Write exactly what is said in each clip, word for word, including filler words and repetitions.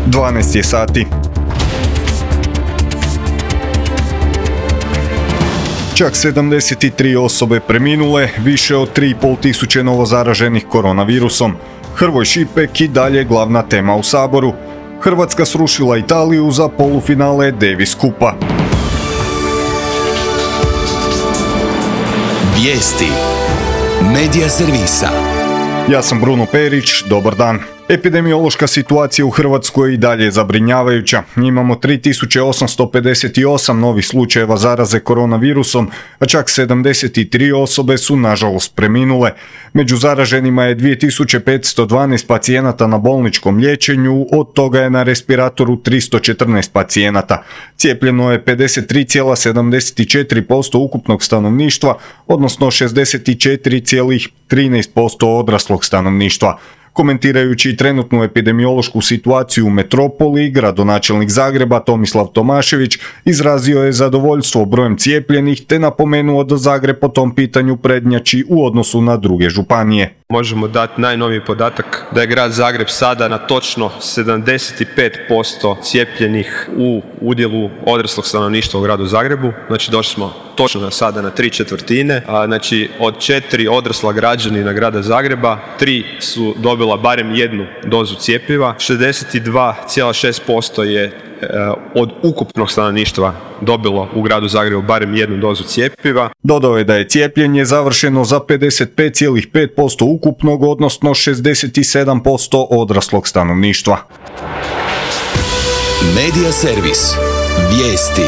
dvanaest je sati. Čak sedamdeset tri osobe preminule, više od tri i pol tisuće novozaraženih koronavirusom. Hrvoj Šipek i dalje glavna tema u Saboru. Hrvatska srušila Italiju za polufinale Davis Kupa. Vijesti Medija servisa. Ja sam Bruno Perić, dobar dan. Epidemiološka situacija u Hrvatskoj i dalje je zabrinjavajuća. Imamo tri tisuće osamsto pedeset osam novih slučajeva zaraze koronavirusom, a čak sedamdeset tri osobe su nažalost preminule. Među zaraženima je dvije tisuće petsto dvanaest pacijenata na bolničkom liječenju, od toga je na respiratoru tristo četrnaest pacijenata. Cijepljeno je pedeset tri zarez sedamdeset četiri posto ukupnog stanovništva, odnosno šezdeset četiri zarez trinaest posto odraslog stanovništva. Komentirajući trenutnu epidemiološku situaciju u metropoli, gradonačelnik Zagreba Tomislav Tomašević izrazio je zadovoljstvo brojem cijepljenih te napomenuo da Zagreb po tom pitanju prednjači u odnosu na druge županije. Možemo dati najnoviji podatak da je grad Zagreb sada na točno sedamdeset pet posto cijepljenih u udjelu odraslog stanovništva u gradu Zagrebu. Znači došli smo točno na sada na tri četvrtine. A, znači od četiri odrasla građanina grada Zagreba, tri su dobila barem jednu dozu cjepiva. šezdeset dva zarez šest posto je od ukupnog stanovništva dobilo u gradu Zagrebu barem jednu dozu cjepiva. Dodao je da je cijepljenje završeno za pedeset pet zarez pet posto ukupnog, odnosno šezdeset sedam posto odraslog stanovništva. Medija servis. Vijesti.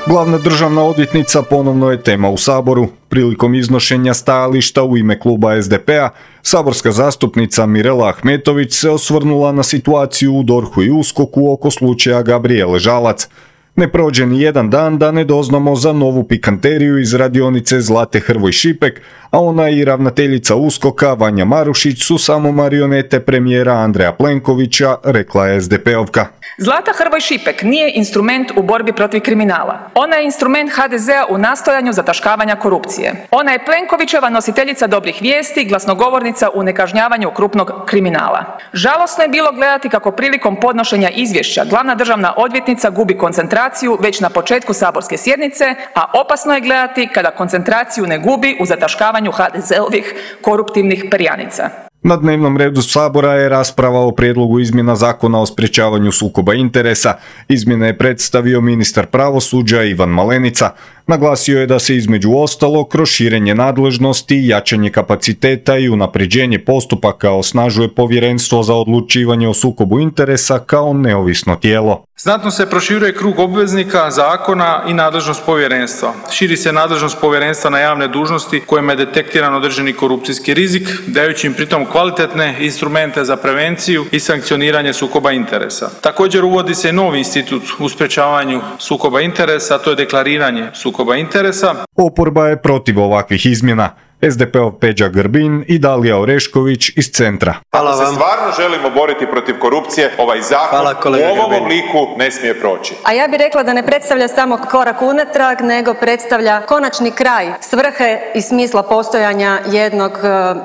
Glavna državna odvjetnica ponovno je tema u Saboru. Prilikom iznošenja stajališta u ime kluba es de pe a, saborska zastupnica Mirela Ahmetović se osvrnula na situaciju u DORH-u i uskoku oko slučaja Gabrijele Žalac. Ne prođe ni jedan dan da ne doznamo za novu pikanteriju iz radionice Zlate Hrvoj Šipek, a ona i ravnateljica uskoka Vanja Marušić su samo marionete premijera Andreja Plenkovića, rekla je es de pe ovka. Zlata Hrvoj Šipek nije instrument u borbi protiv kriminala. Ona je instrument ha de zea u nastojanju zataškavanja korupcije. Ona je Plenkovićeva nositeljica dobrih vijesti, glasnogovornica u nekažnjavanju krupnog kriminala. Žalosno je bilo gledati kako prilikom podnošenja izvješća glavna državna odvjetnica gubi koncentraciju već na početku saborske sjednice, a opasno je gledati kada koncentraciju ne gubi u zataškavanju ha de zeovih koruptivnih perjanica. Na dnevnom redu Sabora je rasprava o prijedlogu izmjena Zakona o sprječavanju sukoba interesa. Izmjene je predstavio ministar pravosuđa Ivan Malenica. Naglasio je da se između ostalog kroz širenje nadležnosti, jačanje kapaciteta i unapređenje postupaka osnažuje Povjerenstvo za odlučivanje o sukobu interesa kao neovisno tijelo. Znatno se proširuje krug obveznika zakona i nadležnost povjerenstva. Širi se nadležnost povjerenstva na javne dužnosti kojima je detektiran određeni korupcijski rizik, dajući im pritom kvalitetne instrumente za prevenciju i sankcioniranje sukoba interesa. Također uvodi se novi institut u sprječavanju sukoba interesa, a to je deklariranje sukoba interesa. Oporba je protiv ovakvih izmjena. es de pe ov Peđa Grbin i Dalija Orešković iz Centra. Hvala vam. Ako se stvarno želimo boriti protiv korupcije, ovaj zakon u ovom obliku ne smije proći. A ja bih rekla da ne predstavlja samo korak unatrag, nego predstavlja konačni kraj svrhe i smisla postojanja jednog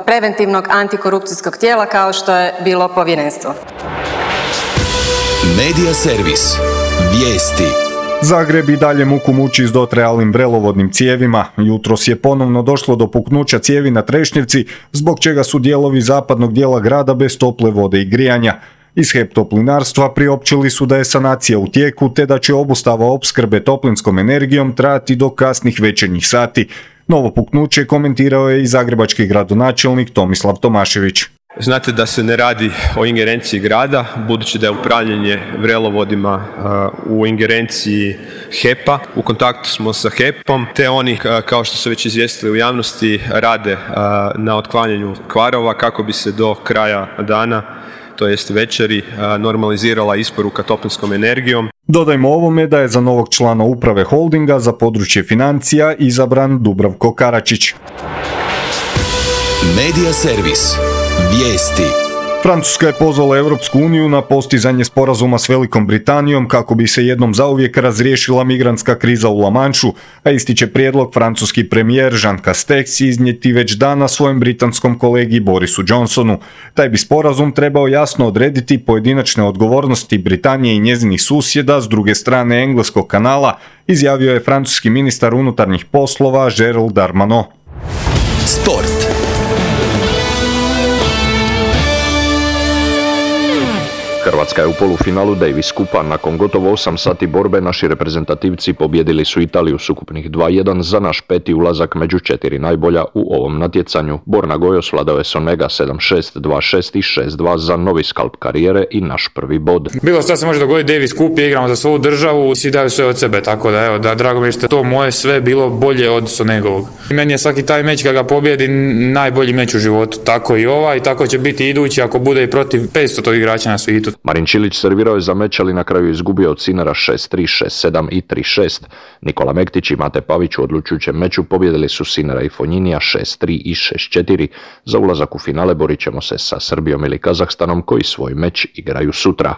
preventivnog antikorupcijskog tijela kao što je bilo povjerenstvo. Medija servis. Vijesti. Zagreb i dalje muku muči s dotrajalim vrelovodnim cijevima. Jutros je ponovno došlo do puknuća cijevi na Trešnjevci, zbog čega su dijelovi zapadnog dijela grada bez tople vode i grijanja. Iz HEP Toplinarstva priopćili su da je sanacija u tijeku te da će obustava opskrbe toplinskom energijom trajati do kasnih večernjih sati. Novo puknuće komentirao je i zagrebački gradonačelnik Tomislav Tomašević. Znate da se ne radi o ingerenciji grada, budući da je upravljanje vrelovodima uh, u ingerenciji hepa. U kontaktu smo sa hepom, te oni, uh, kao što su već izvijestili u javnosti, rade uh, na otklanjanju kvarova kako bi se do kraja dana, to jest večeri, uh, normalizirala isporuka toplinskom energijom. Dodajmo ovome da je za novog člana uprave holdinga za područje financija izabran Dubravko Karačić. Medija servis. Vijesti. Francuska je pozvala Europsku uniju na postizanje sporazuma s Velikom Britanijom kako bi se jednom zauvijek razriješila migrantska kriza u La Manšu, a isti će prijedlog francuski premijer Jean Castex iznijeti već danas svojem britanskom kolegi Borisu Johnsonu. Taj bi sporazum trebao jasno odrediti pojedinačne odgovornosti Britanije i njezinih susjeda s druge strane Engleskog kanala, izjavio je francuski ministar unutarnjih poslova Gérald Darmanin. Sport. Hrvatska je u polufinalu Davis Cupa. Nakon gotovo osam sati borbe naši reprezentativci pobjedili su Italiju s ukupnih dva jedan za naš peti ulazak među četiri najbolja u ovom natjecanju. Borna Gojos vladao je Sonega sedam šest, dva šest i šest dva za novi skalp karijere i naš prvi bod. Bilo šta se može dogoditi, Davis Cup, igramo za svoju državu, svi daju sve od sebe, tako da evo, da drago mi je što to moje sve bilo bolje od Sonegovog. Meni je svaki taj meč kad ga pobjedi najbolji meč u životu, tako i ovaj, i tako će biti idući ako bude i protiv petsto igrača na svijetu. Marin Čilić servirao je za meč, ali na kraju izgubio od Sinara šest tri, šest sedam i tri šest. Nikola Mektić i Mate Pavić u odlučujućem meču pobjedili su Sinara i Fonjinija šest tri i šest četiri. Za ulazak u finale borit ćemo se sa Srbijom ili Kazahstanom koji svoj meč igraju sutra.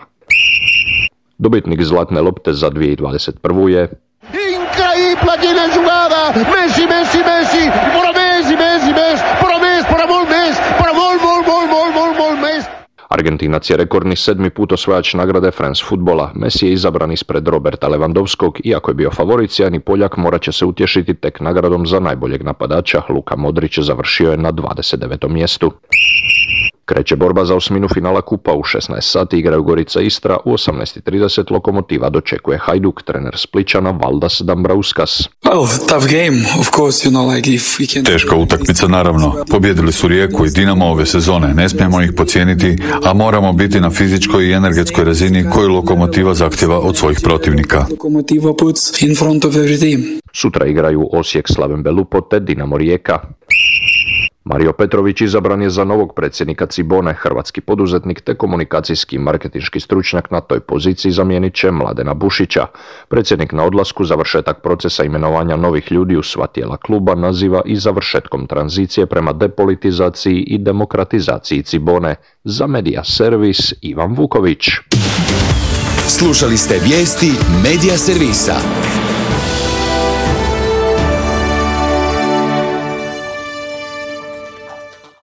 Dobitnik zlatne lopte za dvije tisuće dvadeset prvu je Increíble jugada, Messi, Messi, Messi, para Messi, Messi, Messi, para Messi, para gol Messi, para gol, gol, gol, gol, gol, gol Messi. Argentinac je rekordni sedmi put osvajač nagrade France Futbola. Messi je izabran ispred Roberta Lewandowskog, iako je bio favorit, sjajni Poljak morat će se utješiti tek nagradom za najboljeg napadača. Luka Modrić završio je na dvadeset devetom mjestu. Kreće borba za osminu finala kupa. U šesnaest sati igraju Gorica Istra, u osamnaest i trideset Lokomotiva dočekuje Hajduk, trener Spličana Valdas Dambrauskas. Teška utakmica naravno. Pobjedili su Rijeku i Dinamo ove sezone, ne smijemo ih podcijeniti, a moramo biti na fizičkoj i energetskoj razini koju Lokomotiva zahtjeva od svojih protivnika. Sutra igraju Osijek Slaven Belupo te Dinamo Rijeka. Mario Petrović izabran je za novog predsjednika Cibone. Hrvatski poduzetnik te komunikacijski i marketinški stručnjak na toj poziciji zamijenit će Mladena Bušića. Predsjednik na odlasku završetak procesa imenovanja novih ljudi u sva tijela kluba naziva i završetkom tranzicije prema depolitizaciji i demokratizaciji Cibone. Za Medija Servis Ivan Vuković. Slušali ste vijesti Medija Servisa.